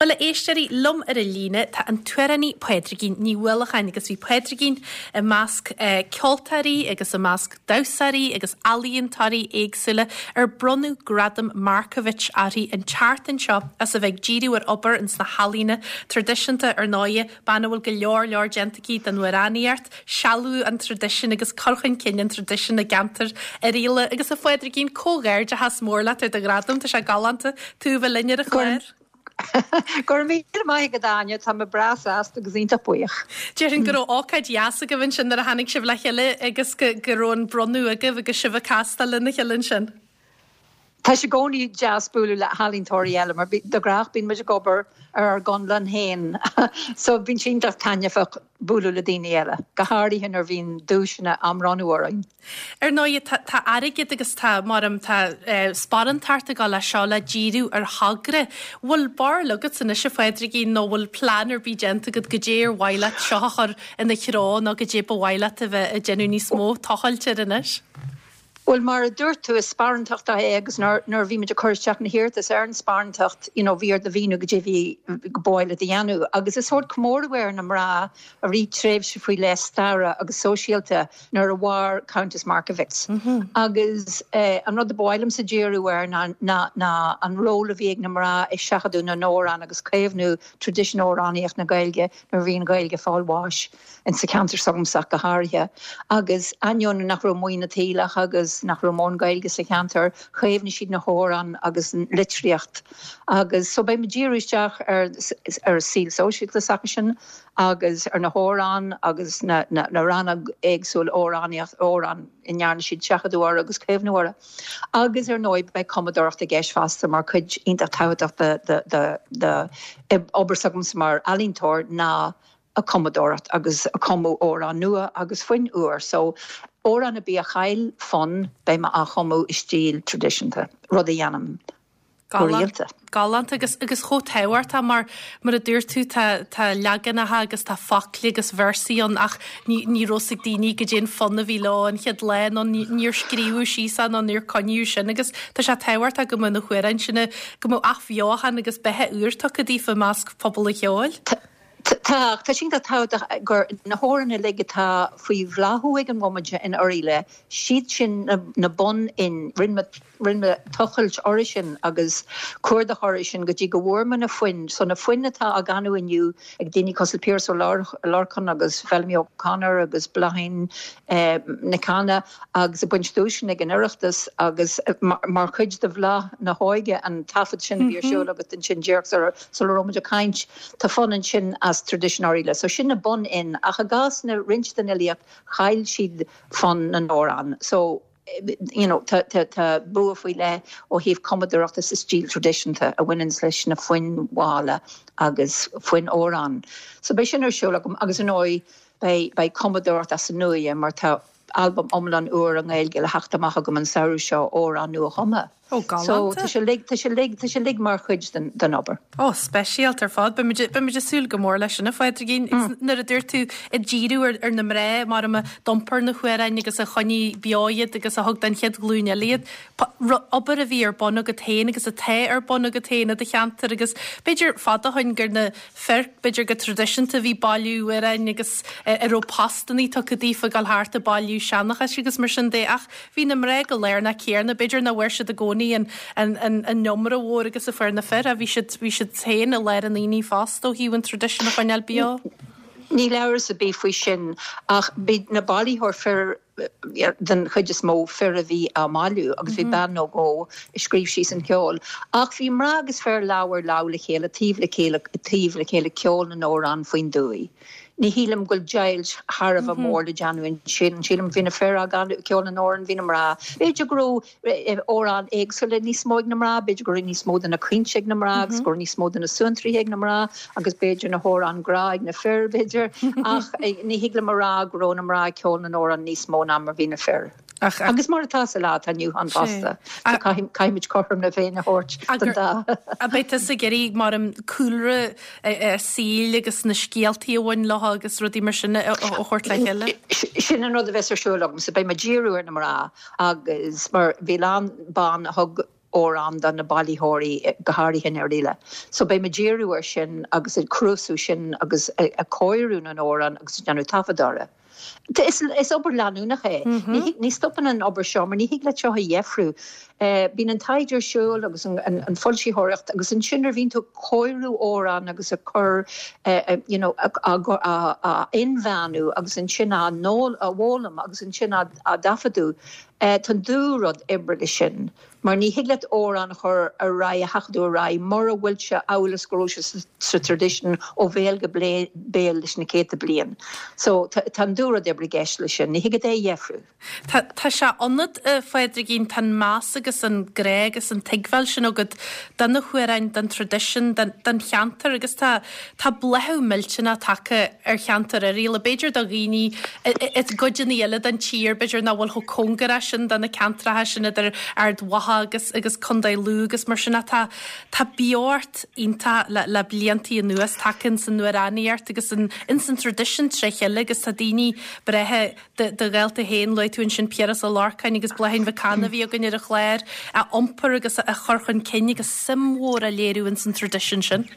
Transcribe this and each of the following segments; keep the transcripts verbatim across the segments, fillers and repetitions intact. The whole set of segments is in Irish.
Bhuel, a éisteoirí, liom ar an líne tá an t-amhránaí Pádraigín Ní Uallacháin agus bhí Pádraigín i measc eh, ceoltóirí agus i measc damhsóirí agus ealaíontóirí éagsúla ar bronnadh gradam Markievicz uirthi an tseachtain seo as a bheith ag díriú ar obair ins na healaíona traidisiúnta. Ar ndóigh, bean a bhfuil go leor leor déanta aici don amhránaíocht, sealbhú an traidisiúin agus cur chun cinn an traidisiúin i gceantar Oirialla. Agus a Phádraigín, comhghairdeachas mór leat ar do ghradam. Tá sé galánta tú a bheith linn ar an chlár. Go raibh míle maith agat, Áine. Tá mé breá sásta agus iontach buíoch. Déarfainn go raibh ócáid dheas agaibh ansin nuair a tháinig sibh le chéile agus go go raibh an bronnadh agaibh agus sibh ag castáil lena chéile ansin. Tá sé i gcónaí deas bualadh le healaíontóirí eile mar de ghnáth bíonn muid ag obair ar ár gconlán féin, so bíonn sé iontach taitneamhach bualadh le daoine eile, go háirithe nuair a bhíonn duaiseanna á mbronnadh orainn. Ar ndóigh, tá airgead agus tá mar tá eh, sparántacht ag le seo le díriú ar thogra. Bhfuil barúil agat anois, a Phádraigín, nó bhfuil plean ar bith déanta agat goidé ar mhaith leat seo a chur ina threo nó goidé ba mhaith leat a bheith ag déanamh níos mó tochailt ar anois? Well, mar a dúirt tú, is sparántacht é agus nuair bhí muid ag cur isteach na hiarratas ar an sparántacht you know, bhí ort a mhíniú goidé bhí ba mhaith leat a dhéanamh, agus is sórt comóradh ar na mná i rith tréimhse faoi leith staire agus sóisialta nuair a mhair Countess Markievicz. Mm -hmm. Agus eh, an rud a ba mhaith liomsa díriú air ná, ná, ná an ról a bhí ag na mná i seachadadh na n-amhrán agus caomhnú traidisiún amhránaíocht na Gaeilge nuair bhí an Ghaeilge ag fáil bháis in sa cheantar s'agamsa go háirithe. Agus ainneoin nach raibh maoin na teaghlach agus nach raibh mórán Gaeilge sa cheantar, chaomhnaigh siad na hamhráin agus an litríocht. Agus so beidh mé ag díriú isteach ar ar saol sóisialta s'acusan agus ar na hamhráin agus na, na, na ranna éagsúil amhránaíocht amhrán a ndearna siad seachadadh orthu agus caomhnú orthu. Agus ar ndóigh beidh cumadóireacht i gceist fosta mar cuid iontach tábhachtach de, de, de, de obair s'agamsa mar ealaíontóir ná a cumadóireacht agus a cumadh amhrán nua agus foinn úr. So amhrán ar bith a chaill fonn beidh mé á chumadh i stíl traidisiúnta, rud a dhéanaim go rialta. Galánta agus agus chomh tábhachtach mar mar a dúirt tú, tá tá leaganacha agus tá focla agus véarsaí ann ach ní ní raibh a fhios ag daoine goidé an fonn a bhí leo an chéad lá nó níor scríobhadh síos nó níor coinníodh sin agus tá sé tábhachtach go mbeadh na hamhráin sin go mbeadh athbheochan agus beatha úr tugtha daofa i measc pobal an cheoil. Tá tá sin tá gur na hamhráin uilig atá faoi bhláthú ag an bhomaite in Oirialla, siad sin na, na bunfhoinn. Rinne rinne tochailt orthu sin agus cuardach orthu sin go dtí go bhfuair mé na foinn, so na foinn atá á gcanadh inniu ag daoine cosúil Piaras Ó Lorcáin agus Feilimí O'Connor agus Bláithín eh, Nic Cana agus ag baint duaiseanna ag an Oireachtas agus eh, mar, mar chuid de Bhláth na hÓige, an taifead sin a bhí ar siúl agat ansin díreach sula raibh muid ag caint, tá fonn ansin as traidisiún Oirialla. So sin na bunfhoinn, ach i gcás na roinnt den fhilíocht chaill siad fonn na n-amhrán. So you know, tá, tá, tá bua faoi leith ó thaobh cumadóireachta sa stíl traidisiúnta a bhaineann leis na foinn mhalla agus foinn amhrán. So beidh sin ar siúl agam agus ar ndóigh beidh beidh cumadóireacht as an nua mar tá albam iomlán úr i nGaeilge le theacht amach agam an samhradh seo, amhráin nua-chumtha. Ó, So tá sé uilig tá sé uilig tá sé uilig mar chuid den, den obair. Ó, speisialta ar fad. Beimid ag súil go mór leis sin, a Phádraigín. Nuair a dúirt tú ag díriú ar, ar na mná mar a d'iompair na hamhráin agus a choinnigh beo iad agus a thug don chéad ghlúin eile iad. Obair a bhí ar bun agat féin agus atá ar bun agat féin i do cheantar agus b'fhéidir fada ó shin gur na fir, b'fhéidir go traidisiúnta a bhí ag bailiú amhrán agus a raibh postannaí tugtha daofa gabháil thart ag bailiú seanchais agus mar sin de, ach bhí na mná go lárnach céanna, b'fhéidir nach bhfuair siad i gcónaí an, an, an, an iomra mhór agus a fuair na fir, a bhí siad bhí siad féin i lár an aonaigh fosta ó thaobh an traidisiún a choinneáil beo. Níl amhras ar bith faoi sin, ach bhí na bailitheoirí fir den chuid is mó, fir a bhí á mbailiú agus bhí bean nó dhó a scríobh síos an ceol. Ach bhí mná agus fir lámh ar lámh le chéile, taobh le chéile, taobh le chéile ceol na n-amhrán faoin dtuaith. Ní shílim go bhfuil deighilt thar a bheith mór le déanamh ansin. Sílim bhí na fir ag ceol na n-amhrán, bhí na mná. B'fhéidir go raibh amhráin éagsúla níos mó ag na mná, b'fhéidir go raibh níos mó de na caointe ag na mná agus go raibh níos mó de na suantraithe ag na mná agus b'fhéidir na hamhráin grá ag na fir, b'fhéidir, ach ní thig liom a rá go raibh na mná ag ceol na n-amhrán níos mó ná mar bhí na fir. Ach, Agus mar atá sa lá atá inniu ann fosta. So caithfimid cothrom na Féinne a thabhairt don dá. A beidh tusa ag iarraidh mar an cúlra saoil agus na scéaltaí a bhain leo agus rudaí mar sin a thabhairt le chéile? Sin an rud a bheas ar siúl agam, so beidh mé ag díriú ar na mná agus mar bhí lán ban a thug amhrán do na bailitheoirí go háirithe in Oirialla. So beidh mé ag díriú air sin agus ag cnuasú sin agus ag cóiriú na n-amhrán agus ag déanamh taifead orthu. Is, is obair leanúnach é. Mm -hmm. Ní stopann an obair seo, mar ní thig leat seo a dheifriú. Uh, Bíonn an taighde ar siúl agus an, an, an foilsitheoireacht agus ansin nuair a bhíonn tú ag cóiriú amhrán agus ag cur uh, uh, you know, a, a, a, a inmheánú agus ansin á a bhfoghlaim agus ansin á, á dtaifeadadh. Uh, Tá dúrud oibre leis sin. Mar ní thig leat amhrán a chur ar aghaidh a thaifeadadh ar aghaidh mura bhfuil sé amhail is go raibh sé sa traidisiún ó bhéal go béal leis na céadta bliain. So tá dúrud oibre i gceist leis sin, ní thig leat é a dheifriú. Tá sé ionat a Phádraigín tá meas agus an grá agus an tuigbheáil sin agat do na hamhráin don traidisiún don cheantar agus tá tá bláthú millteanach tagtha ar cheantar Oirialla b'fhéidir do dhaoine i gcuideanna eile den tír b'fhéidir nach bhfuil chomh cóngarach sin do na ceantracha sin idir Ard Mhacha agus agus Contae Lú agus mar sin tá tá beocht iontach le, le bliantaí anuas tagtha san amhránaíocht agus in, in san traidisiún tré chéile agus tá daoine breithe de, de ghaolta féin luaigh tú ansin Piaras Ó Lorcáin agus Bláithín Mhic Cana a bhí againn ar an chlár a iompar agus a chur chun cinn agus suim mhór a léiriú in san traidisiún sin.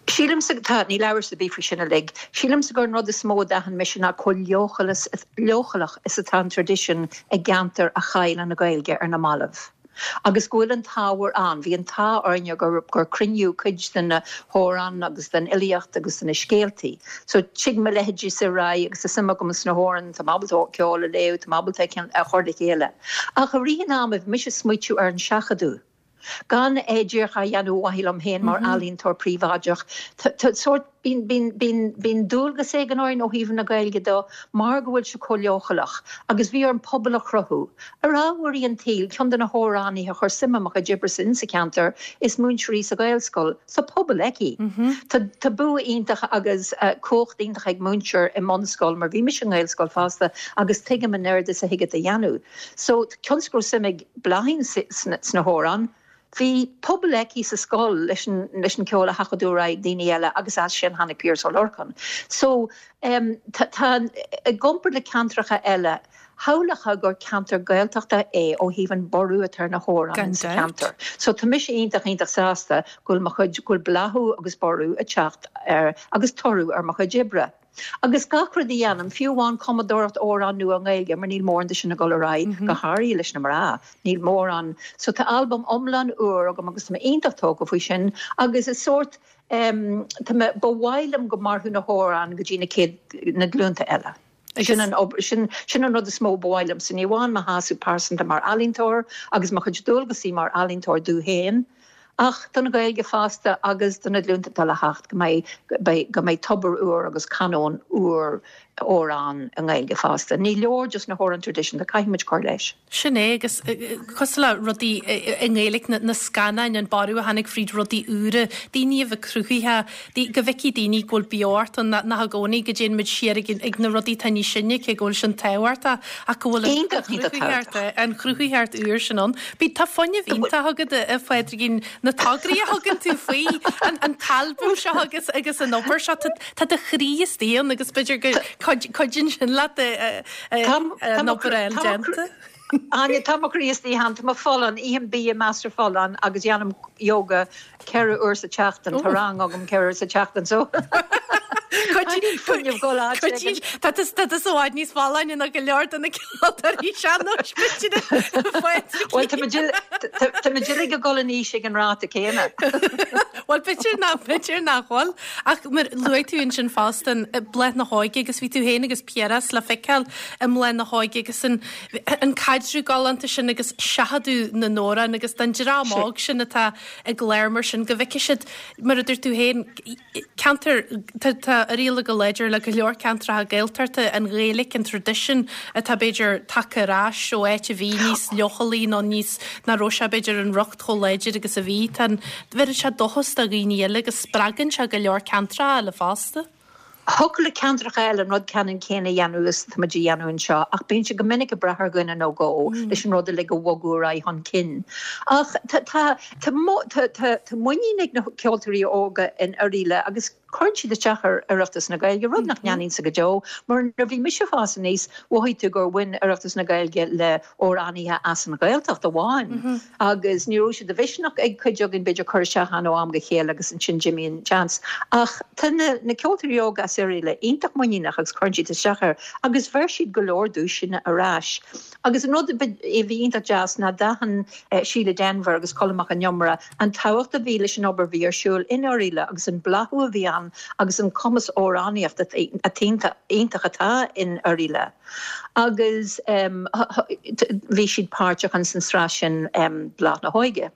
Sílimse tá níl amhras ar bith faoi sin uilig. Sílimse gur an rud is mó a d'aithin mise ná chomh leochaileach is atá an traidisiún i gceantar a chaill an Ghaeilge ar na mallaibh. Agus go bhfuil an t-ábhar ann, bhí an t-ádh orainne gur gur cruinníodh cuid den na hamhráin agus den fhilíocht agus den na scéaltaí. So tig mo leithéidí sa ra agus is suim agam sna hamhráin tá ábalta ceol a léamh tá ábalta a chur le chéile. Ach a ríthan am mise smaoitiú ar an seachadadh. Gan é díreach a dhéanamh mhaith féin mar mhm. ealaíontóir príobháideach sórt bíonn dualgas ag an orainn ó thaobh na Gaeilge de mar go bhfuil sé chomh leochaileach, agus bhí an pobal a chruthú. Ar ámharaí an tsaoil ceann de na hamhránaithe a chuir suim i mo chuid oibre in sa cheantar is múinteoir í sa Ghaelscoil sa pobal aici. Mhm. Tá bua iontach agus uh, cumhacht iontach ag múinteoir i mbunscoil mar bhí mise i nGaelscoil fosta agus tuigim an oiread is a thig a dhéanamh. So cionn suim ag Bláithín sna hamhráin, Bhí pobal aici sa scoil leis an leis an ceol a sheachadadh ag daoine eile agus as sin tháinig Piaras Ó Lorcáin. So um, tá i gcomparáid le ceantracha eile, shamhlófá gur ceantar Gaeltachta é ó thaobh an borradh atá ar na hamhráin sa cheantar. So tá mise iontach iontach sásta go bhfuil mo chuid go bhfuil bláthú agus borradh ag teacht ar agus toradh ar mo chuid oibre. Agus gach rud a dhéanaim fiú amháin cumadóireacht amhrán nua Gaeilge mar níl mórán de sin ag dul ar aghaidh mm -hmm. go háirithe leis na mná níl mórán so tá albam iomlán úr agam agus mé iontach tógtha faoi sin agus is sórt um, ba mhaith liom go mairfeadh na hamhráin go dtí na céad na glúnta eile. Sin an, sin, sin an rud is mó ba mhaith liom san ní amháin mo shásamh pearsanta mar ealaíontóir agus mo chuid dualgaisí mar ealaíontóir dom féin. Ach don Ghaeilge fosta agus do na glúnta atá le theacht go mbeidh go mbeidh tobar úr agus canóin úr amhrán i nGaeilge fosta. Ní leor just na hamhráin traidisiúnta caithfimid cur leis. Sin é agus cosúil le rudaí i nGaeilge na scannáin an borradh a tháinig fríd rudaí úra, daoine a bheith cruthaithe, go bhfeicfidh daoine go bhfuil beocht ann nach i gcónaí go dtéann muid siar ag na rudaí atá níos sine cé go bhfuil sin tábhachtach ach go bhfuil an chruthaitheacht úr sin ann. Bí tá fuinneamh iontach agat a Phádraigín na tograí a thugann tú faoi an t-albam seo agus agus an obair seo tá do chroí istigh ann agus b'fhéidir go cuidíonn sin leat an obair eile déanta. Áine tá mo chroí istigh ann tá mé folláin ithim bia measartha folláin agus déanaim yoga ceithre uair sa tseachtain Tá rang agam ceithre uair sa tseachtain so. Tá tá i bhfad níos folláine ná go leor de na ceoltóirí sean-nóis Well tá muid uilig ag dul in aois ag an ráta céanna. Well b'fhéidir ná b'fhéidir nach bhfuil ach mar luaigh tú ansin fosta Bláth na hÓige agus bhí tú féin agus Piaras le feiceáil i mBláth na hÓige agus an an caidreamh galánta sin agus seachadadh na n-amhrán agus don dream óg sin atá ag léir mar sin go bhfeicfidh siad mar a dúirt tú féin ceantar tá Oirialla go láidir le go leor ceantracha Gaeltachta an Ghaeilge an traidisiún atá b'fhéidir tagtha ar ais ó áit a bhí níos leochailí nó níos nach raibh sé b'fhéidir an riocht chomh láidir agus a bhí tá bheireann sé dóchas do dhaoine eile agus spreagann sé go leor ceantracha eile fosta. Thiocfadh le ceantracha eile an rud ceannann céanna a dhéanamh is tá muid a dhéanamh anseo ach bíonn sé go minic ag brath ar dhuine nó dhó leis an rud uilig a bhogadh ar aghaidh chun cinn. Ach tá muinín ag na ceoltóirí óga in Oirialla agus Cuireann siad isteach ar Oireachtas na Gaeilge, rud nach ndéanfainnse go deo, mar nuair a bhí mise ag fás aníos, mhothaigh tú gur bhain Oireachtas na Gaeilge le amhránaithe as an Ghaeltacht amháin. Agus ní raibh sé de mhisneach ag cuid againn b'fhéidir cur isteach ann ó am go chéile agus ansin d'imigh an seans. Ach tá na na ceoltóirí óga as Oirialla iontach muiníneach agus cuireann siad isteach air agus bheir siad go leor duaiseanna ar ais. Agus an rud a bhí iontach deas ná d'aithin Síle Denvir agus Colm Mac Con Iomaire an tábhacht a bhí leis an obair a bhí ar siúl in Oirialla agus an bláthú a bhí ann agus an cumas amhránaíochta iontach atá in Oirialla. Agus bhí siad páirteach in san sraith sin Bláth na hÓige.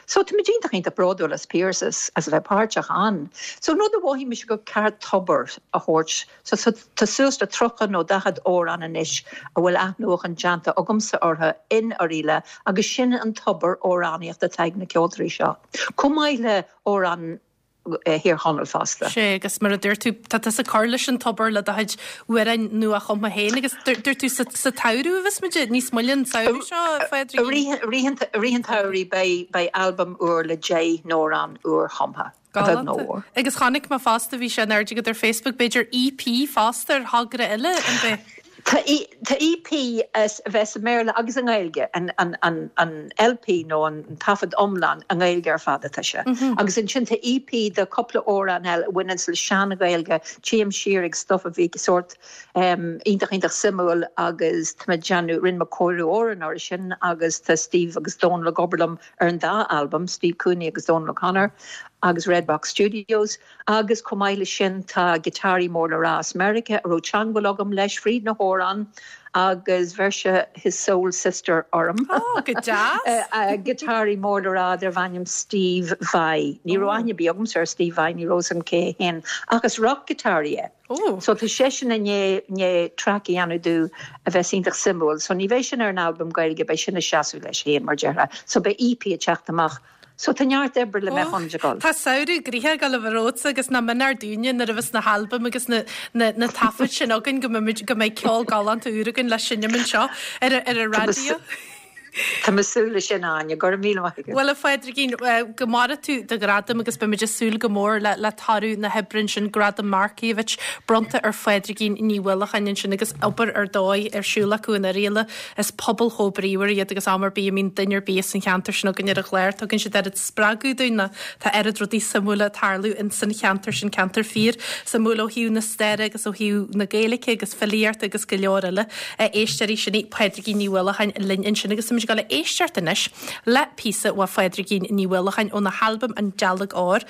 So tá muid iontach iontach bródúil as Pearse as a bheith páirteach ann. So an rud a mhothaigh mise gur ceart tobar a thabhairt, so tá suas le tríocha nó daichead amhrán anois a bhfuil athnuachan déanta agamsa orthu in Oirialla agus sin an tobar amhránaíochta atá ag na ceoltóirí seo. Chomh maith le amhráin Thír Chonaill fosta. Sé agus mar a dúirt tú tá tusa ag cur leis an tobar le do chuid amhráin nua-chumtha féin agus dúirt tú sa tsamhradh a bheas muid níos moille an samhradh seo a Phádraigín? I rith an tsamhraidh beidh albam úr le deich n-amhrán úr-chumtha. Galánta. Agus chonaic mé fosta bhí sé in airde agat ar Facebook b'fhéidir EP fosta ar thogra eile an bith? Tá EP as a bheas i mBéarla agus i nGaeilge, an LP nó an taifead iomlán i nGaeilge ar fad atá sé. Agus ansin tá EP de cúpla amhrán eile a bhaineann le sean-Ghaeilge, téim siar ag stuff a bhí sórt iontach iontach suimiúil agus tá mé ag déanamh, rinne mé cóiriú amhrán orthu sin agus tá Steve agus Dónal ag obair liom ar an dá albam, Steve Cooney agus Dónal O'Connor agus Red Box Studios. Agus chomh maith leis sin tá giotáraí mór le rá as Meiriceá a raibh teagmháil agam leis fríd na hamhráin agus bheir sé his soul sister orm. Oh, go deas! Giotáraí mór le rá darb ainm Steve Vai. Ní raibh aithne ar bith agamsa ar Steve Vai, ní raibh a fhios agam cé hé féin, ach is rock-ghiotáraí é. Oh. So tá seisean i ndiaidh track a dhéanamh domh a bheas iontach suimiúil. So ní bheidh sin ar an albam Gaeilge, beidh sin ag seasamh leis féin mar déarfá. So beidh EP ag teacht amach So tá neart oibre le mbeith an goil. Tá samhradh gnoitheach ag dul a bheith romhatsa agus nach méanar dúinne nuair a bheas na halbaim agus na na na taifid sin againn go mbeimid go mbeidh ceol galánta úr againn le seinm anseo ar ar an raidió. Tá mé ag súil leis sin Áine, go raibh míle maith agat. Bhuel a Phádraigín, go maire tú do ghradam agus beimid ag súil go mór le le toradh na hoibre ansin Gradam Markievicz bronnta ar Phádraigín Ní Mhaoileacháin ansin agus obair ar dóigh ar siúl acu in Oirialla. Is pobal chomh bríomhar iad agus am ar bith a mbíonn duine ar bith as an cheantar sin againn ar an chlár, tugann siad oiread spreagadh dúinn ná tá oiread rudaí suimiúla ag tarlú in san cheantar sin ceantar fíor suimiúil ó thaobh na staire agus ó thaobh na Gaeilge agus filíochta agus go leor eile. Éisteoirí sin í Pádraigín Ní Mhaoileacháin linn ansin agus táimid ag dul a éisteacht anois le píosa ó Phádraigín Ní Mhaoileacháin óna halbam An Dealg Óir.